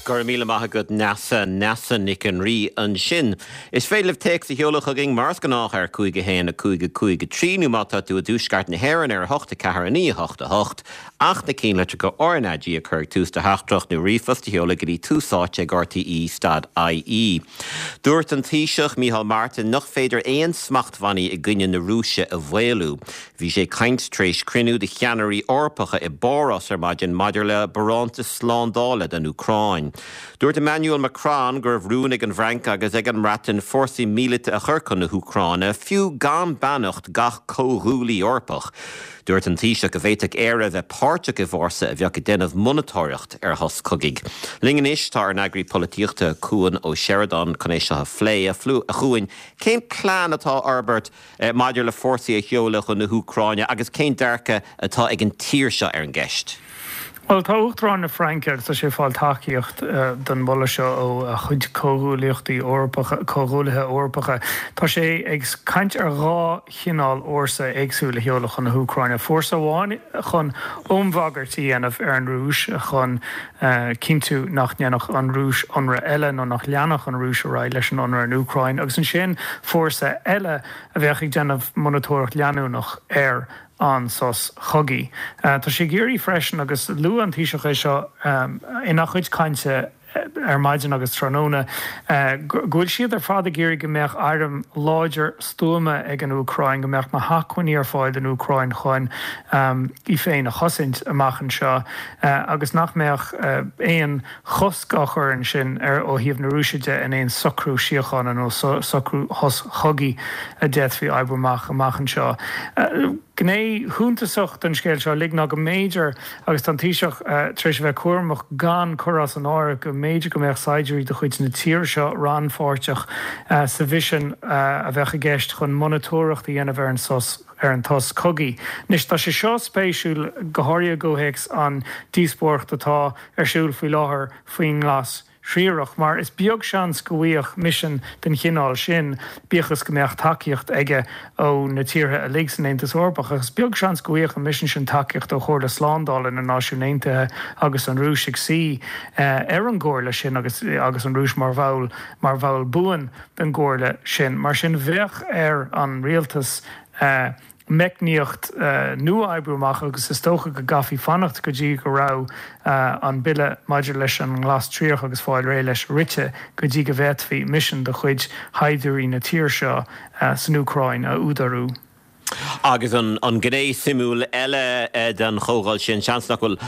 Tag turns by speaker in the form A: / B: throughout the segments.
A: Go raibh míle maith agat Neasa, Neasa Nic an Rí ansin. Is féidir libh téacs a sheoladh chugainn mar is gnách ar 5 1 5 5 3 nó má tá tú i dtuaisceart na hÉireann ar 8 4 9 8 8 ach na ceannlitreacha RnaG a chur ag tús do theachtaireacht nó ríomhphost a sheoladh go dtí Tús Áite ag RTÉ stad IE. Dúirt an Taoiseach Micheál Martin nach féidir aon smachtbhannaí i gcoinne na Rúise a mhaolú. Bhí sé ag caint tar éis cruinniú de cheannairí Eorpacha i bPáras ar maidin maidir le barántas slándála don Úcráin. Dúirt Emmanuel Macron go raibh rún ag an bhFrainc agus ag an mBreatain fórsaí míleata a chur chun na hÚcráine, fiú gan beannacht gach comhghuaillí Eorpach. Dúirt an Taoiseach go bhféadfadh Éire a bheith páirteach i bhfórsa a bheadh ag déanamh monatóireacht ar shos cogaidh. Linn anois tá ár n-eagraí polaitíochta, Cuan Ó Seireadáin, chun é seo a phlé. A Chuain, cén plean atá á fhorbairt maidir le fórsaí a sheoladh chun na hÚcráine agus cén dearcadh atá ag an tír seo ar an gceist?
B: Bhuel, tá Uachtarán na Fraince, agus tá sé ag fáil tacaíocht don mholadh seo ó a chuid comhghuaillíochtaí Eorpacha, comhghuaillithe Eorpacha, tá sé ag caint ar dhá chineál fhórsa éagsúil a sheoladh chun na hÚcráine. Fórsa amháin chun iombhagairt a dhéanamh ar an Rúis, chun cinntiú nach ndéanfadh an Rúis ionradh eile nó nach leanfadh an Rúis ar aghaidh leis an ionradh ar an Úcráin, agus ansin fórsa eile a bheadh ag déanamh monatóireacht leanúnach ar an sos chogaidh. Tá sé ag iarraidh freisin, agus luaigh an Taoiseach é seo ina chuid cainte ar maidin agus tráthnóna, go bhfuil siad ar fad ag iarraidh go mbeadh airm láidir stuama ag an Úcráin, go mbeadh na hacmhainní ar fáil don Úcráin chun í féin a chosaint amach anseo agus nach mbeadh aon chosc á chur ansin ar ó thaobh na Rúise de in aon socrú síochána nó socrú shos chogaidh a d'fhéadfaí oibriú amach amach anseo. Gné shuntasach den scéal seo uilig ná go mb'fhéidir, agus tá an Taoiseach tar éis a bheith cúramach gan cur as an áireamh, go mb'fhéidir go mbeadh saighdiúirí de chuid na tíre seo rannpháirteach sa mhisean a bheadh i gceist chun monatóireacht a dhéanamh ar an sos ar an tsos cogaidh. Anois, tá sé seo spéisiúil, go háirithe i gcomhthéacs an díospóireacht atá ar siúl faoi láthair faoin nGlas Thriarach, mar is beag seans go bhfaigheadh misean den chineál sin, bíodh is go mbeadh tacaíocht aige ó na tíortha uilig san Aontas Eorpach, ach is beag seans go bhfaigheadh an misean sin tacaíocht ó Chomhairle Slándála na Náisiún Aontaithe agus an Rúis ag suí ar an gcomhairle sin agus agus an Rúis mar bhall mar bhall buan den gcomhairle sin. Mar sin bheadh ar an rialtas meicníocht nua a oibriú amach agus is dócha go gcaithfí fanacht go dtí go raibh an bille maidir leis an nGlas Triarach agus fáil réidh leis rite go dtí go bhféadfaí misean de chuid shaighdiúirí na tíre seo san Úcráin a údarú.
A: Agus an ghné suimiúil eile den chomhdháil sin, seans nach bhfuil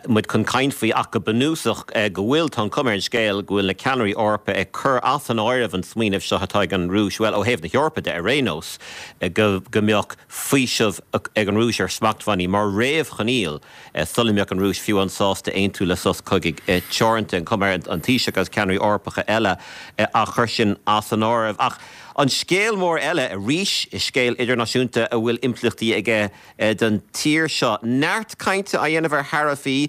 A: muid chun caint faoi ach go bunúsach go bhfuil, tá an chuma ar an scéal go bhfuil na ceannairí Eorpacha ag cur as an áireamh an smaoineamh seo atá ag an Rúis, bhuel, ó thaobh na hEorpa de ar aon nós, go mbeadh faoiseamh ag an Rúis ar smachtbhannaí mar réamhchoinníoll sula mbeadh an Rúis fiú amháin sásta aontú le sos cogaidh teoranta. An chuma ar an Taoiseach agus ceannairí Eorpacha eile á chur sin as an áireamh. Ach an scéal mór eile arís, scéal idirnáisiúnta a bhfuil impleachtaí aige don tír seo, neart cainte á dhéanamh ar tharaifí,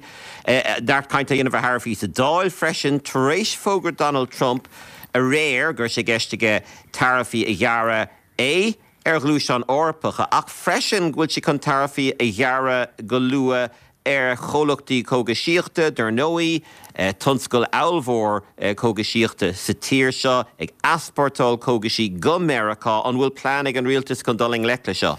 A: neart cainte á dhéanamh ar tharaifí sa Dáil freisin tar éis fógra Donald Trump aréir go raibh sé i gceist aige taraifí a ghearradh A, ar ghluaisteáin Eorpacha ach freisin go bhfuil sé chun taraifí a ghearradh go luath ar chomhlachtaí cógaisíochta, dar ndóigh, tionscal ollmhór cógaisíochta sa tír seo ag easpórtáil cógaisí go Meiriceá. An bhfuil plean ag an rialtas chun dul i ngleic le seo?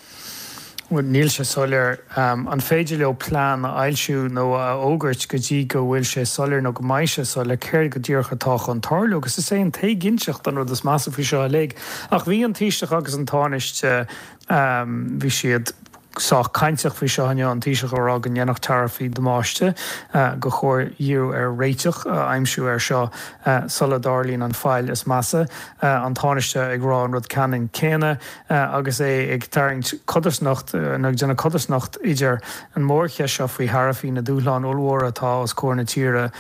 B: Bhuel, níl sé soiléir. An féidir leo plean a fhoilsiú nó a fhógairt go dtí go bhfuil sé soiléir nó go mbeidh sé soiléir céard go díreach atá chun tarlú? Agus is é an t-éiginnteacht an rud is measa faoi seo uilig. Ach bhí an Taoiseach agus an Tánaiste, bhí siad sách cainteach faoi seo inniu, an Taoiseach ag rá go ndéanfadh taraifí damáiste, gur chóir díriú ar réiteach a aimsiú air seo sula dtarlaíonn an faill is measa, an Tánaiste ag rá an rud ceannann céanna. agus é ag tarraingt codarsnacht, nó ag déanamh codarsnacht idir an mhórcheist seo faoi tharaifí, na dúshláin ollmhóra atá os comhair na tíre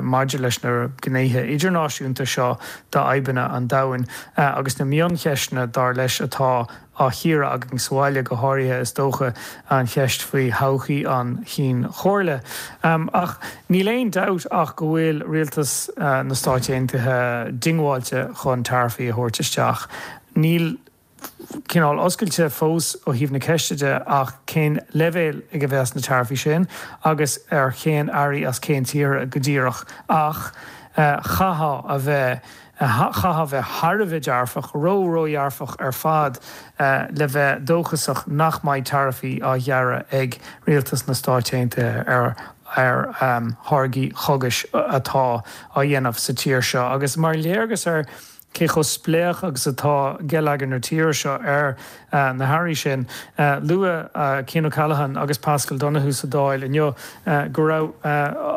B: maidir leis na gnéithe idirnáisiúnta seo d'fhadhbanna an domhain, agus na mioncheisteanna, dar leis, atá á chíoradh againn sa bhaile, go háirithe, is dócha, an cheist faoi thodhchaí an Chinn Chomhairle. Ach níl aon dabht ach go bhfuil rialtas na Stáit Aontaithe diongbháilte chun taraifí a thabhairt isteach. Níl cineál oscailte fós ó thaobh na ceiste de ach cén leibhéal ag a bheas na taraifí sin agus ar cén earraí as cén tíortha go díreach. Ach. Chaithfeá a bheith, chaithfeá a bheith thar a bheith dearfach, ró-ródhearfach ar fad le bheith dóchasach nach mbeidh taraifí á ghearradh ag rialtas na Stáit Aontaithe ar ar tháirgí chógais atá á dhéanamh sa tír seo. Agus mar léargas ar cé chomh spléach agus atá geilleagar na tíre seo ar na hearraí sin, luaigh Cian O'Callaghan agus Paschal Donohoe sa Dáil inniu go raibh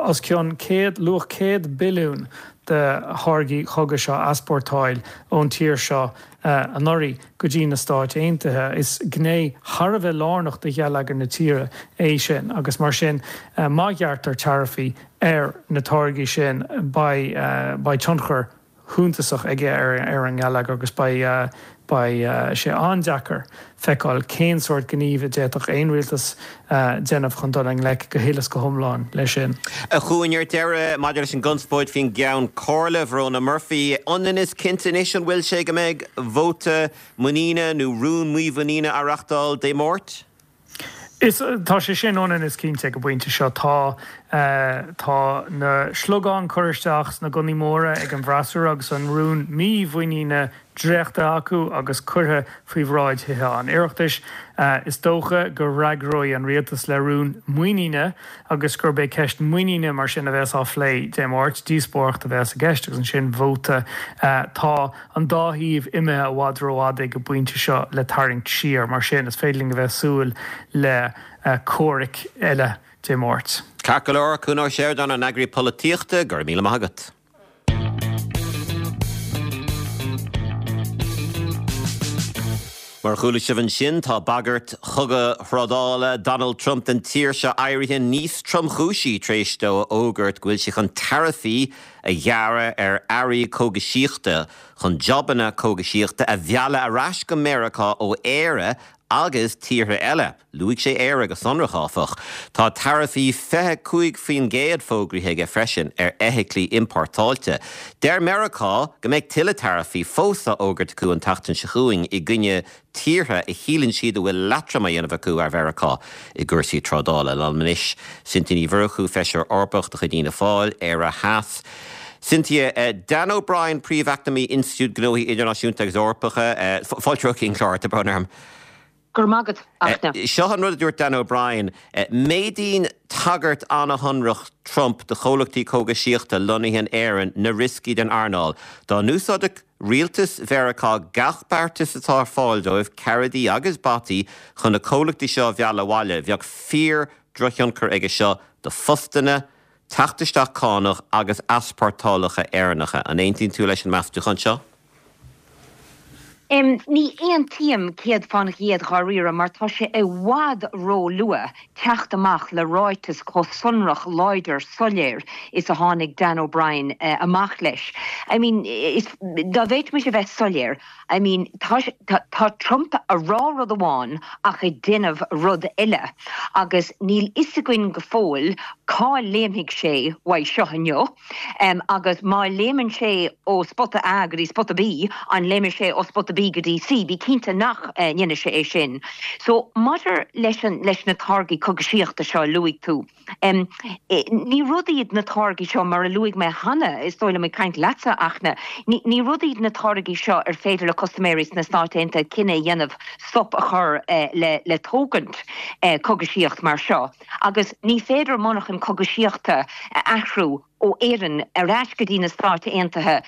B: os cionn 100, luach 100 billiún de tháirgí chógais á easpórtáil ón tír seo anuraidh go dtí na Stáit Aontaithe. Is gné thar a bheith lárnach de gheilleagar na tíre é sin agus mar sin má ghearrtar taraifí ar na táirgí sin beidh beidh tionchar shuntasach aige ar an ngeilleagar agus beidh beidh sé an-deacair feiceáil cén sórt gníomh a d'fhéadfadh aon rialtas déanamh chun dul i ngleic go huile is go hiomlán leis sin.
A: A Chuain, ar deireadh, maidir leis an gconspóid faoin gCeann Comhairle, Verona Murphy, ionann is cinnte anois an bhfuil sé go mbeidh vóta muiníne nó rún mímhuiníne á reachtáil Dé Máirt?
B: Is, tá sé sin ionann is cinnte ag an bpointe seo. Tá, tá na sliogáin curtha isteach sna gunnaí móra ag an bhfreasúra agus an rún mímhuiníne dréachtaithe acu agus curtha faoi bhráid Thithe an Oireachtais. Is dócha go bhfreagróidh an rialtas le rún muiníne agus gurb é ceist muiníne mar sin a bheas á phlé Dé Máirt. Díospóireacht a bheas i gceist agus ansin vóta. Tá. an dá thaobh imithe i bhfad rófhada ag an bpointe seo le tarraingt siar. Mar sin, is féidir linn a bheith ag súil le comhraic eile Dé Máirt.
A: Ceart go leor, Cuan Ó Seireadáin, ár n-eagraí polaitíochta, go raibh míle maith agat. Mar a chuala sibh ansin, tá bagairt chogadh thrádála Donald Trump don tír seo éirithe níos tromchúisí tar éis dó a fhógairt go bhfuil sé chun taraifí a ghearradh ar earraí cógaisíochta chun jabanna cógaisíochta a mhealladh ar ais go Meiriceá ó Éire agus tíortha eile. Luaigh sé Éire go sonrach, áfach. Tá taraifí 25% fógraithe aige freisin ar fheithiclí iompórtáilte. Deir Meiriceá go mbeidh tuilleadh taraifí fós á fhógairt acu an tseachtain seo chugainn i gcoinne tíortha a shíleann siad a bhfuil leatrom á dhéanamh acu ar Mheiriceá i gcúrsaí trádála. Liom anois, Cynthia Ní Mhurchú, Feisire Eorpach de chuid Fhianna Fáil, Éire Theas. Cynthia, Dan O'Brien, Príomh-Eacnamaí Institiúid Gnóthaí Idirnáisiúnta agus Eorpacha, fáilte romhat chuig an chlár, tá brón orm.
C: Go raibh maith agat, Fhachtna.
A: Seo an rud a dúirt Dan O'Brien, Méadaíonn tagairt an-shonrach Trump do chomhlachtaí cógaisíochta lonnaithe in Éirinn na rioscaí don earnáil. Dá n-úsáidfeadh Rialtas Mheiriceá gach beartas atá ar fáil dóibh, caradaí agus bataí, chun na comhlachtaí seo a mhealladh abhaile. Bheadh fíor-dhrochthionchar aige seo do phostanna, teacht isteach cánach agus easpórtálacha Éireannacha. An aontaíonn tú leis an meastúchán seo?
C: Ní aontaím céad fán gcéad dháiríre mar tá sé i bhfad ró-luath teacht amach le ráiteas chomh sonrach, láidir, soiléir is a tháinig Dan O'Brien amach leis. I mean, is, dá bhféadfaimis a bheith soiléir, I mean, tá, tá Trump a rá rud amháin ach ag déanamh rud eile agus níl fhios againn go fóill cá léimfidh sé uaidh seo inniu. Agus má léimeann sé ó spota A go dtí spota B, an léimfidh sé ó spota B go dtí C? Bí cinnte nach ndéanfaidh sé é sin. So, maidir leis an, leis na táirgí cogaisíochta seo a luaigh tú, ní rud iad na táirgí seo, mar a luaigh mé cheana, is dóigh liom ag caint leatsa, a Fhachtna, ní, ní rud iad na táirgí seo ar féidir le custaiméirí sna Stáit Aontaithe cinneadh a dhéanamh stop a chur le, le tógaint cogaisíocht mar seo. Agus ní féidir monarchan cogaisíochta a athrú ó Éirinn ar ais go dtí na Stáit Aontaithe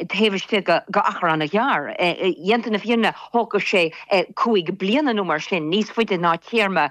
C: taobh istigh de achar an-ghearr. Déanta na fírinne, thógfadh sé 5 bliana nó mar sin, níos faide ná téarma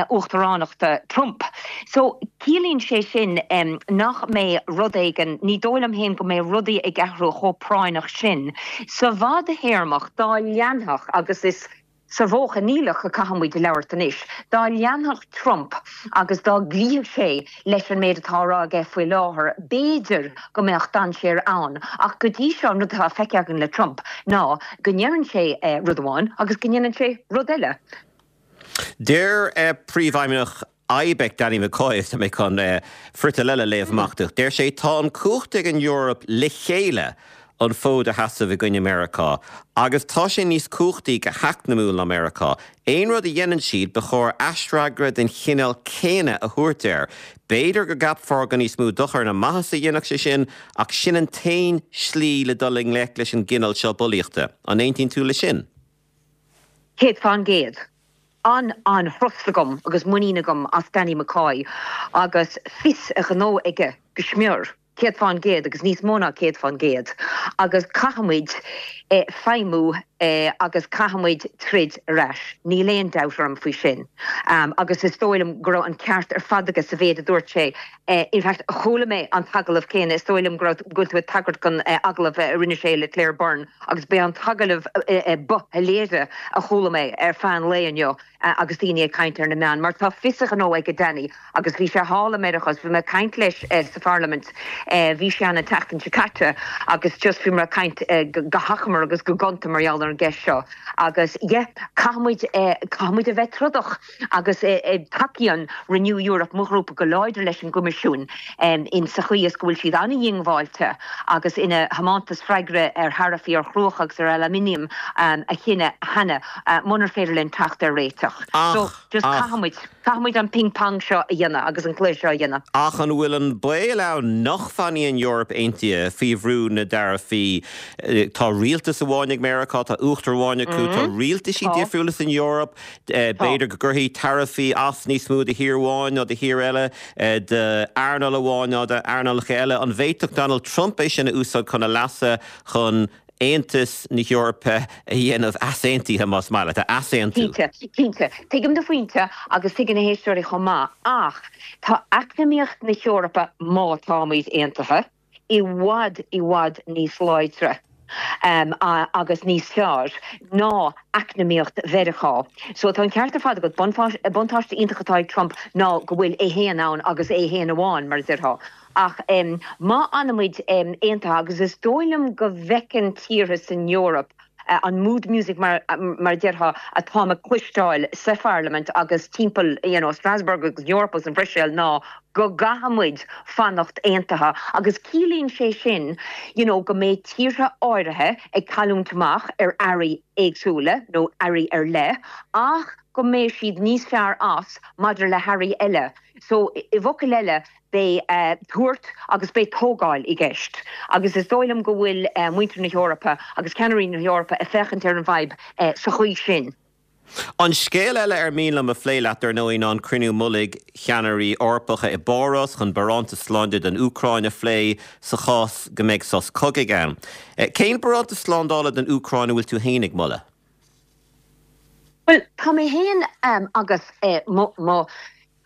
C: uachtaránachta Trump. So, ciallaíonn sé sin nach mbeidh rud éigin, ní dóigh liom féin go mbeidh rudaí ag athrú chomh práinneach sin. Sa bhfadthéarmach, dá leanfadh, agus is. Sa mhodh choinníollach a caithfidh muid labhairt anois. Dá leanfadh Trump agus dá gcloífeadh sé leis an méid atá á rá aige faoi láthair, b'fhéidir go mbeadh dainséar ann. Ach go dtí seo, an rud atá feicthe againn le Trump ná go ndeireann sé rud amháin agus go ndéanann sé rud eile.
A: Deir Príomhfheidhmeannach IBEC, Danny McCoy, tá mé chun friotal eile a léamh amach duit. Deir sé, Tá an cumhacht ag an Eoraip le chéile. an fód a sheasamh i gcoinne Meiriceá, agus tá sé níos cumhachtaí go heacnamúil ná Meiriceá. Aon rud a dhéanann siad, ba chóir aisfhreagra den chineál céanna a thabhairt air. B'fhéidir go gceapfá gur níos mó dochair ná maitheas a dhéanfadh sé sin, ach sin an t-aon slí le dul i ngleic leis an gcineál seo bulaíochta. An aontaíonn tú leis sin?
C: 100%. An-an-thrust agam agus muinín agam as Danny McCoy agus fios a ghnó aige go smior. 100% agus níos mó ná 100% agus caithfimid feidhmiú agus caithfimid troid ar ais, níl aon dabht orm faoi sin. Agus is dóigh liom go raibh an ceart ar fad aige sa mhéid a dúirt sé. In fact, chuala mé an t-agallamh céanna, is dóigh liom go raibh, go bhfuil tú ag tagairt don agallamh a rinne sé le Claire Byrne agus b'é an t-agallamh ba shoiléire a chuala mé ar feadh an lae inniu. agus daoine ag caint ar na meáin, mar tá fios a ghnó aige Danny agus bhí sé thall i Meiriceá agus bhí mé ag caint leis sa pharlaimint, bhí sé ann an tseachtain seo caite agus just bhíomar ag caint go hachomair agus go gonta mar gheall ar an gceist seo agus yeah, caithfidh muid, caithfidh muid a bheith trodach agus tacaíonn Renew Europe, mo ghrúpa, go láidir leis an gCoimisiún in sa chaoi is go bhfuil siad an-dhiongbháilte agus ina thiomantas freagra ar tharaifí ar chruach agus ar aluminium a chinneadh cheana. munar féidir linn teacht ar réiteach. So, just caithfidh muid, caithfidh muid an ping pong seo a dhéanamh agus an cluiche seo a dhéanamh.
A: Ach an bhfuil an baol ann nach bhfanfaidh an Eoraip aontaithe faoi bhrú na dtaraifí? Tá rialtas amháin ag Meiriceá, tá uachtar amháin acu, tá rialtaisí difriúla san Eoraip, b'fhéidir go gcuirfidh taraifí as níos mó do thír amháin ná do thír eile, d'earnáil amháin ná d'earnálacha eile. An bhféadfadh Donald Trump é sin a úsáid chun a leasa, chun Aontas na hEorpa a dhéanamh easaontaithe, más maith leat, a easaontú.
C: Cinnte, cinnte. Tuigim do phointe agus tuigeann na héisteoirí chomh maith, ach tá eacnamaíocht na hEorpa, má táimid aontaithe, i bhfad, i bhfad níos láidre agus níos fearr ná eacnamaíocht Mheiriceá. So tá an ceart ar fad agat, buntáiste iontach atá ag Trump ná go bhfuil é féin ann agus é féin amháin, mar a déarfá. Ach má fhanaimid aontaithe, agus is dóigh liom go bhfeiceann tíortha san Eoraip an mood music mar a déarfá atáim ag cloisteáil sa pharlaimint agus timpeall you know Strasbourg agus an Eoraip agus an Bhruiséil ná go gcaithfimid fanacht aontaithe agus ciallaíonn sé sin you know go mbeidh tíortha áirithe ag cailliúint amach ar earraí éagsúla nó earraí ar leith ach go mbeidh siad níos fearr as maidir le hearraí eile. So i bhfocail eile Beidh tabhairt agus beidh tógáil i gceist agus is dóigh liom go bhfuil muintir na hEorpa agus ceannairí na hEorpa ag féachaint ar an bhfadhb sa chaoi sin.
A: An scéal eile ar mian liom a phlé leat, dar ndóigh, ná an cruinniú mullaigh cheannairí Eorpacha i bPáras chun barántas sláinte don Úcráin a phlé sa chás go mbeidh sos cogaidh ann. Cén barántas slándála don Úcráin a bhfuil tú féin ag moladh?
C: Bhuel, tá mé féin agus mo.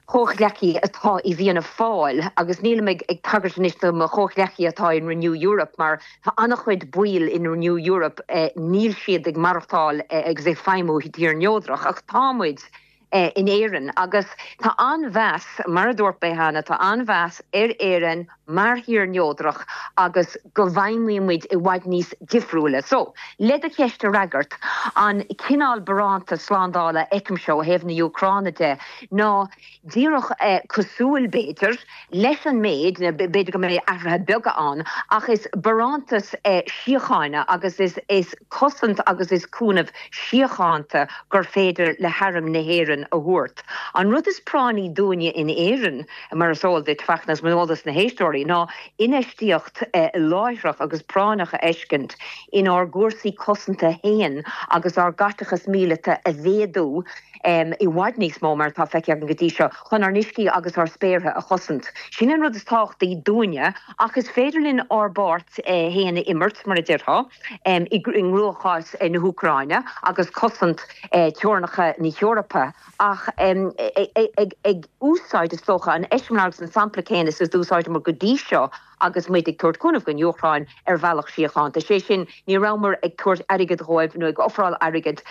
C: chomhghleacaí atá i bhFianna Fáil, agus nílim ag tagairt anois do mo chomhghleacaí atá in Renew Europe, mar tá an-chuid baill in Renew Europe, níl siad ag maireachtáil agus ag feidhmiú i dtír neodrach, ach tá muid in Éirinn, agus tá an-mheas, mar a dúirt mé cheana, tá an-mheas ar Éirinn mar thír neodrach agus go bhfeidhmíonn muid i bhfad níos difriúla. So, le do cheist a fhreagairt, an cineál barántas slándála a fheicimse ó thaobh na hÚcráine de ná díreach cosúil, b'fhéidir, leis an méid, b'fhéidir go mbeidh athruithe beaga ann, ach is barántas síochána agus is cosaint agus is cúnamh síochánta gur féidir le hArm na hÉireann a thabhairt. An rud is práinní dúinne in Éirinn, mar is eol duit, Fachtna, agus mar is eol dos na héisteoirí, ná infheistíocht láithreach agus práinneach a fheiscint inár gcúrsaí cosanta féin agus ár gcaiteachas míleata a mhéadú i bhfad níos mó mar atá feicthe againn go dtí seo, chun ár n-uiscí agus ár spéartha a chosaint. Sin an rud is tábhachtaí dúinne, ach is féidir linn ár bpáirt féin a imirt, mar a déarfá, i gcruachás na hÚcráine agus cosaint teorainneacha na hEorpa. ach ag úsáid, is dócha, an eiseamláir agus an sampla céanna is a d'úsáideamar go dtí seo agus muid ag tabhairt cúnamh don Úcráin ar bhealach síochánta. Sé sin, ní rabhamar ag tabhairt airgid dhóibh nó ag ofráil airgid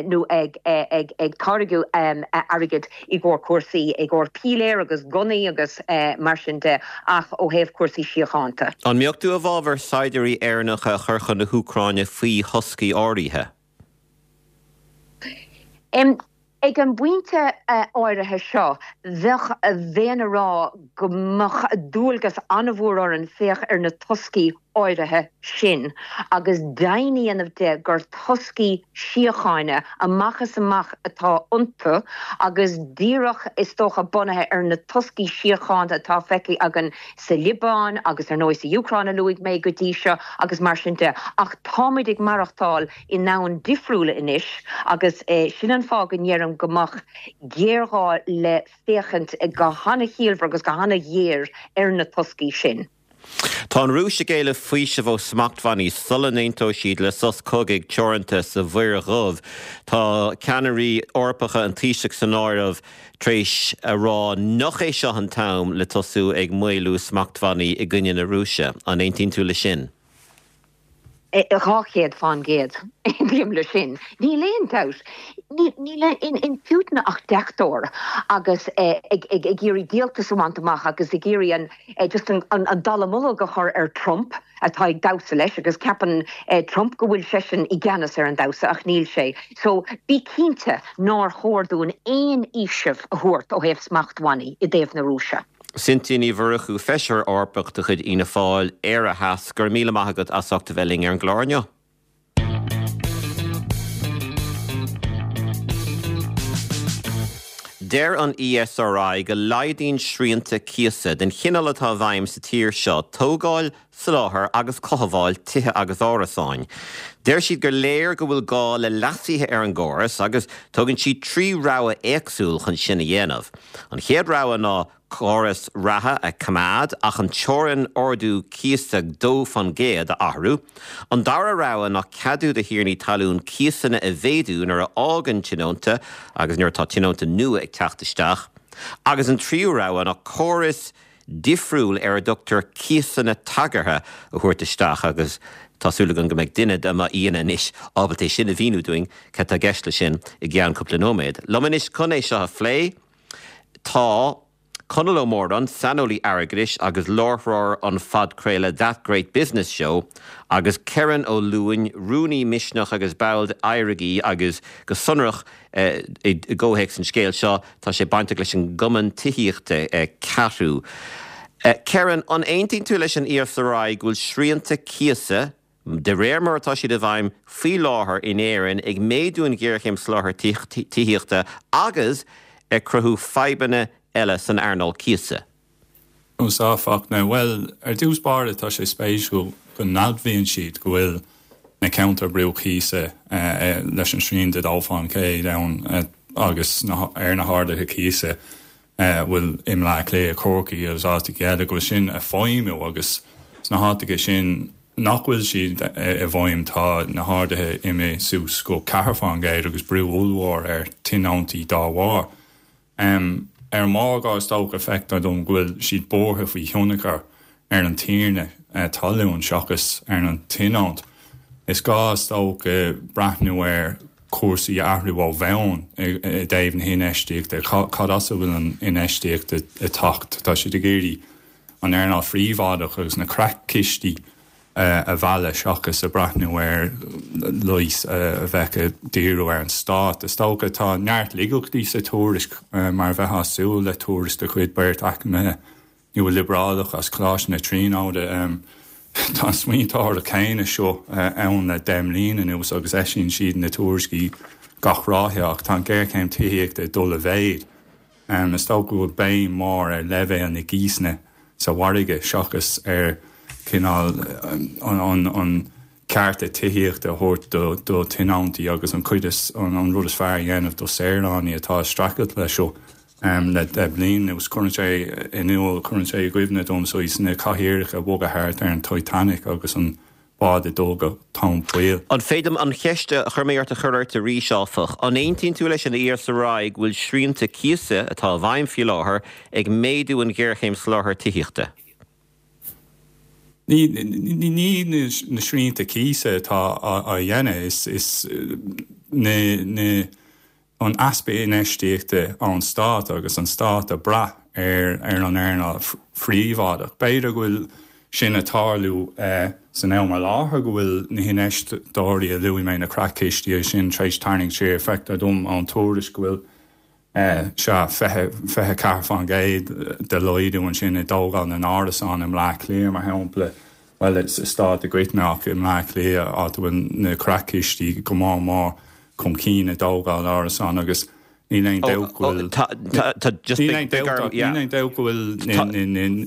C: nó ag táirgeadh airgid i gcomhair cúrsaí, i gcomhair píléar agus gunnaí agus mar sin de, ach ó thaobh cúrsaí síochánta.
A: An mbeadh tú i bhfabhar saighdiúirí Éireannacha a chur chun na hÚcráine faoi thoscaí áirithe?
C: Ag an bpointe áirithe seo, bheadh, bheinn a rá go mbeadh dualgas an-mhór orainn féach ar na toscaí. áirithe sin agus deimhin a dhéanamh de gur toscaí síochána amach is amach atá iontu agus díreach, is dócha, bunaithe ar na toscaí síochána atá feicthe againn sa Liobáin agus ar ndóigh sa Úcráin a luaigh mé go dtí seo agus mar sin de. Ach táimid ag maireachtáil i ndomhan difriúil anois agus sin an fáth go ndeirim go mbeadh géarghá le féachaint go hana-chiallmhar agus go hana-ghéar ar na toscaí sin.
A: Tá an Rúis ag éileamh faoiseamh ó smachtbhannaí sula n-aontóidh siad le sos cogaidh teoranta sa Mhuir Dhubh. Tá ceannairí Eorpacha, an Taoiseach san áireamh, tar éis a rá nach é seo an t-am le tosú ag maolú smachtbhannaí i gcoinne na Rúise. An aontaíonn tú leis sin?
C: 200% aontaím leis sin. Níl aon dabht. Níl in Putin ach deachtóir agus ag iarraidh díoltas a bhaint amach agus ag iarraidh an just an dallamullóg a chur ar Trump atá ag damhsa leis agus ceapann Trump go bhfuil seisean i gceannas ar an damhsa ach níl sé. So bí cinnte nár chóir dúinn aon fhaoiseamh a thabhairt ó thaobh smachtbhannaí i dtaobh na Rúise.
A: Cynthia Ní Mhurchú, Feisire Eorpach de chuid Fhianna Fáil, Éire Theas, go raibh míle maith agat as ucht a bheith linn ar an gclár inniu. Deir an ESRI go laghdaíonn srianta cíosa den chineál atá i bhfeidhm sa tír seo tógáil, soláthar agus cothabháil tithe agus árasáin. Deir siad gur léir go bhfuil gá le leasuithe ar an gcóras agus tugann siad 3 rogha éagsúil chun sin a dhéanamh. An chéad rogha ná córas reatha a choimeád ach an teorainn ardú cíosa 2% a athrú. An dara rogha ná ceadú do thiarnaí talún cíosanna a mhéadú nuair a fhágann tionónta agus nuair atá tionónta nua ag teacht isteach. Agus an tríú rogha ná córas difriúil ar a dtugtar cíosanna tagartha a thabhairt isteach agus tá súil agam go mbeidh duine de m'aíonna anois ábalta é sin a mhíniú dúinn, cad tá i gceist leis sin i gceann cúpla nóiméad. Liom anois chun é seo a phlé tá Conall Ó Móráin, saineolaí airgeadais agus láithreoir an phodchraoladh That Great Business Show agus Kerron Ó Luain, rúnaí Misneach agus ball d'Éirígí agus go sonrach I gcomhthéacs an scéil seo, tá sé bainteach leis an gcumann tithíochta, CATU. Kerron, an aontaíonn tú leis an ESRI go bhfuil srianta cíosa, de réir mar atá siad i bhfeidhm faoi láthair in Éirinn, ag méadú an ghéarchéim soláthair tithíochta agus ag cruthú fadhbanna eile san earnáil cíosa?
D: Conas a Fachtna, Bhuel, ar dtús báire tá sé spéisiúil go n-admhaíonn siad go bhfuil na ceantair brú cíosa leis an srian de 2% ann agus ar na harduithe cíosa a bhfuil i mBleá Cliath, Corcaigh agus áiteacha eile, go bhfuil sin ag feidhmiú agus sna háiteacha sin nach bhfuil siad i bhfeidhm tá na harduithe imithe suas go 4% agus brú ollmhór ar tionóntaí dá bharr. Ar an margadh, is dócha, feictear dom go bhfuil siad buartha faoi thionchar ar an tiarna talún seachas ar an tionónt. Is gá, is dócha, breathnú ar chúrsaí a athrú ó bhonn i dtaobh na hinfheistíochta. Cad as a bhfuil an infheistíocht ag teacht? Tá siad ag iarraidh an earnáil phríobháideach agus na creatchistí a mhealladh seachas ag breathnú ar leigheas a bheadh ag díriú ar an stát. Is dócha tá neart laigeachtaí sa tuairisc, mar a bheifeá ag súil le tuairisc de chuid beirt eacnamaithe nua-liobrálach as Coláiste na Tríonóide. Tá an smaointeoireacht chéanna seo ann le 10 mbliana anuas agus eisíonn siad na tuairiscí gach ráithe ach tá an ghéarchéim tithíochta ag dul i mhéad. Is dócha go bhfuil béim mhór ar leibhéal na gcíosanna sa mhargadh seachas ar chineál an cearta tithíochta a thabhairt do thionóntaí agus an chuid is, an rud is fearr a dhéanamh do saoránaigh atá ag streachailt leis seo le 10 bliain anuas. Cuireann sé in iúl, cuireann sé i gcuimhne dom saghas na cathaoireacha ag bogadh thart ar an Titanic agus an bád ag dul go tóin poill.
A: An féidir liom an cheist a chuir mé ort a chur ort arís, áfach? An aontaíonn tú leis an ESRI go bhfuil srianta cíosa, atá i bhfeidhm faoi láthair, ag méadú an ghéarchéim soláthair tithíochta?
D: Ní na srianta cíosa atá á dhéanamh, is na. an easpa infheistíochta ón stát agus an stát ag brath ar an earnáil phríobháideach. B'fhéidir go bhfuil sin ag tarlú san am i láthair, go bhfuil na hinfheisteoirí a luaigh mé, na creatchistí sin, tar éis tarraingt siar. Feictear dom ón tuairisc go bhfuil, sea, 24% de laghdú ansin i dtógáil na n-árasán i mBleá Cliath, mar shampla. bhuel, sa stát i gcoitinne ach i mBleá Cliath, áit a bhfuil na creachchistí go mór mór chun cinn i dtógáil árasán agus níl aon dabht go bhfuil níl aon dabht níl aon dabht go bhfuil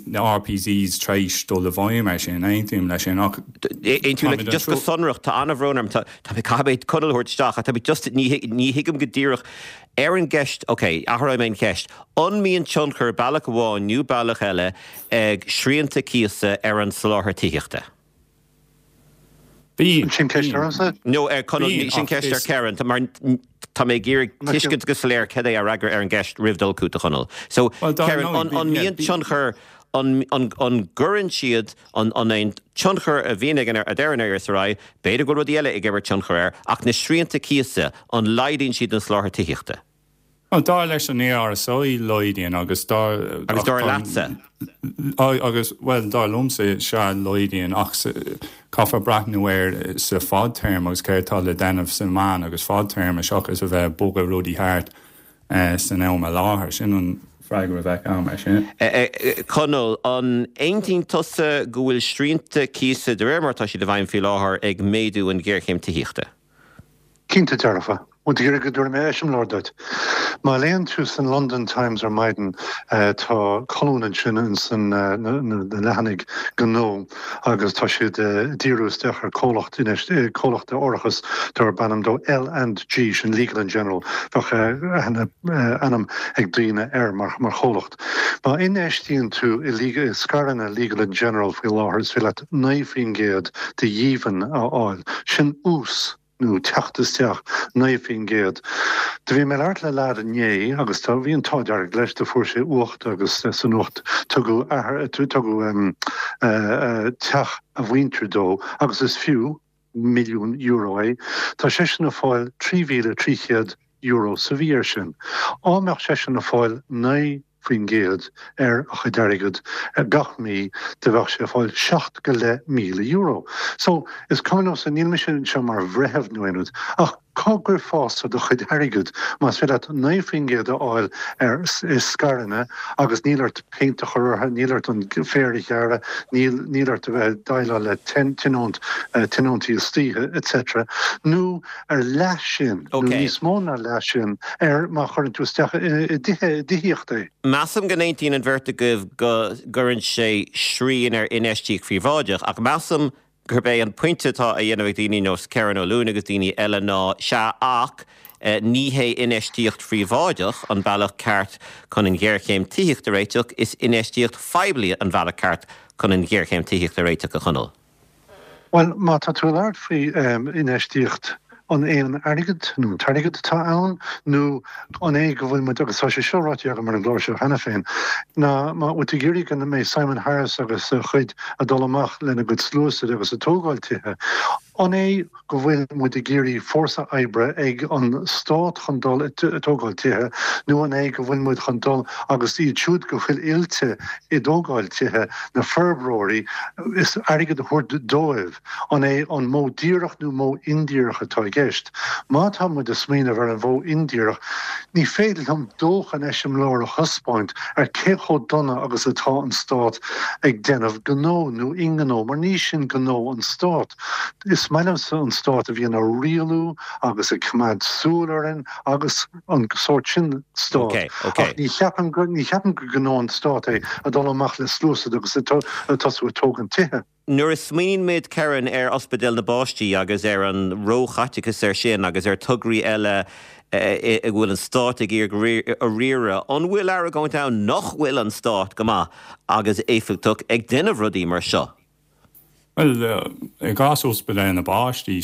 D: na RPZs tar éis dul i bhfeidhm air sin, aontaím leis sin ach
A: Aontaím le, just go sonrach, tá an-bhrón orm, tá mé, caithfidh mé Conall a thabhairt isteach ach tá mé just, ní ní thuigim go díreach ar an gceist, ok, athróidh mé an cheist, an mbíonn tionchar bealach amháin nó bealach eile ag srianta cíosa ar an soláthar tithíochta?
D: Bíonn.
E: Sin ceist ormsa?
A: No, ar Conall,
D: Bíonn,
A: sin
D: ach
A: ceist ar
D: is.
A: Kerron, mar tá mé ag iarraidh tuiscint go soiléir cad é a fhreagra ar an gceist roimh dul chugat, a Chonaill. So,
D: Bhuel, dar
A: Kerron,
D: ndóigh,
A: an,
D: bíonn,
A: an
D: yeah,
A: mbíonn
D: bíonn.
A: tionchar, an, an, an gcuireann siad, an, an é an tionchar a bhíonn ag an, a deir an ESRI, b'fhéidir go bhfuil rudaí eile ag imirt tionchar air, ach na srianta cíosa, an laghdaíonn siad an soláthar tithíochta?
D: Bhuel, dar leis an ESRI, laghdaíonn agus dar.
A: Agus dar leatsa?
D: Agus, bhuel, dar liomsa, sea, laghdaíonn ach caithfear breathnú air sa fadtéarma agus céard atá le déanamh sa mheán agus fadtéarma seachas a bheith ag bogadh rudaí thart san am i láthair. Sin an freagra a bheadh agam air sin.
A: Conall, an aontaíonn tusa go bhfuil srianta cíosa, de réir mar atá siad i bhfeidhm faoi láthair, ag méadú an ghéarchéim tithíochta?
E: Cinnte dearfa. Bhfuil tú ag iarraidh go dtabharfaidh mé eiseamláir duit? Má léann tú san London Times ar maidin tá colún ansin ins na leathanaigh gnó agus tá siad ag díriú isteach ar comhlacht comhlacht árachais darb ainm dó L and G, sin Legal and General, bheadh aithne ainm ag daoine air mar chomhlacht. Má infheistíonn tú i scaireanna Legal and General faoi láthair is féidir leat 9% de dhíbhinn a fháil. Sin ús nó teacht isteach 9%. Do bhí mé ag labhairt le leaid inné agus tá, bhí an t-ádh dearg leis, do fuair sé uacht agus san uacht tugadh athair, tugadh teach a mhuintir dó agus is fiú, €1,000,000 é. Tá seisean ag fáil €3,300 sa mhí air sin. Á mbeadh seisean ag fáil 9% ar a chuid airgid gach mí do bheadh sé ag fáil seacht go leith míle euro. So, is cuma liomsa, níl mise anseo mar bhreitheamh nó aon rud, ach cá gcuirfeása do chuid airgid más féidir leat 9% a fháil ar scaireanna agus níl ort péint a chur orthu, níl ort an féar a ghearradh, níl, níl ort a bheith ag déileáil le tionónt, tionóntaí istoíche, etc. Nó ar leath sin, nó níos mó ná leath sin, ar má chuireann tú isteach i dtithe, i dtithíocht é.
A: Measaim go n-aontaíonn an bheirt agaibh go gcuireann sé srian ar infheistíocht phríobháideach, ach measaim gurb é an pointe atá á dhéanamh ag daoine nós Kerron Ó Luain agus daoine eile ná, sea, ach ní hé infheistíocht phríobháideach an bealach ceart chun an ghéarchéim tithíochta a réiteach, is infheistíocht phoiblí an bealach ceart chun an ghéarchéim tithíochta a réiteach, a Chonaill.
E: Bhuel, má tá tú ag labhairt faoi infheistíocht, an é an airgead nó an t-airgead atá ann nó an é go bhfuil muid, agus tá sé seo ráite agam ar an gclár seo cheana féin, ná má bhfuil tú ag iarraidh go mbeidh Simon Harris agus a chuid ag dul amach lena gcuid sluasaid agus ag tógáil tithe, an é go bhfuil muid ag iarraidh fórsa oibre ag an stát chun dul ag tógáil tithe nó an é go bhfuil muid chun dul agus iad siúd go bhfuil oilte i dtógáil tithe, na forbróirí, is airgead a thabhairt dóibh? An é an modh díreach nó modh indíreach atá i gceist? Má tá muid ag smaoineamh ar an mhodh indíreach, ní féidir liom dóthain eiseamláir a thaispeáint ar cé chomh dona agus atá an stát ag déanamh gnó nó i ngnó, mar ní sin gnó an stáit. Is maith liomsa an stát a bhíonn á rialú agus ag coimeád súil orainn agus an sórt sin stát. Ach ní cheapaim gur gnó an stáit é a dul amach le sluasaid agus ag tosú ag tógaint tithe.
A: Nuair a smaoiníonn muid, Kerron, ar Ospidéal na bPáistí agus ar an róchaiteachas air sin agus ar tograí eile a bhfuil an stát ag iarraidh a riaradh, an bhfuil argóint ann nach bhfuil an stát go maith agus éifeachtach ag déanamh rudaí mar seo?
D: Bhuel, i gcás Ospidéal na bPáistí,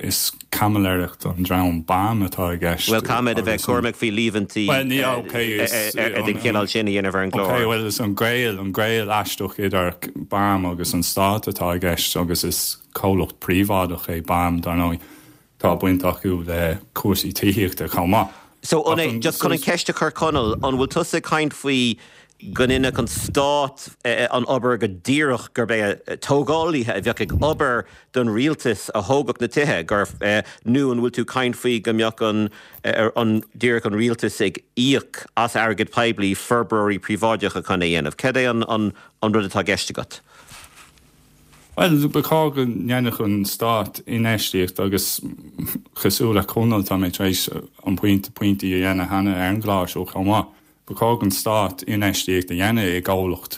D: is caimiléireacht an dream BAM atá i gceist.
A: Bhuel, caithfimid a bheith cúramach faoi líomhaintí den chineál sin a dhéanamh ar an gclár.
D: Ok, bhuel, is an gaol, an gaol aisteach idir BAM agus an stát atá i gceist agus is comhlacht príobháideach é BAM, dar ndóigh. Tá baint acu le cúrsaí tithíochta chomh maith.
A: So, an é, just chun an cheist a chur Conall, an bhfuil tusa ag caint faoi go ndéanfadh an stát an obair go díreach, gurb é tógálaithe a bheadh ag obair don rialtas a thógfadh na tithe, gur, nó an bhfuil tú ag caint faoi go mbeadh an, an, díreach an rialtas ag íoc as airgead poiblí forbróirí príobháideacha chun é a dhéanamh? Cad é an, an, an rud atá i gceist agat?
D: Bhuel, ba chóir go ndéanfadh an Stát infheistíocht agus cosúil le Conall, tá mé tar éis an pointe, pointí a dhéanamh cheana ar an gclár seo chomh maith, ba chóir don Stát infheistíocht a dhéanamh i gcomhlacht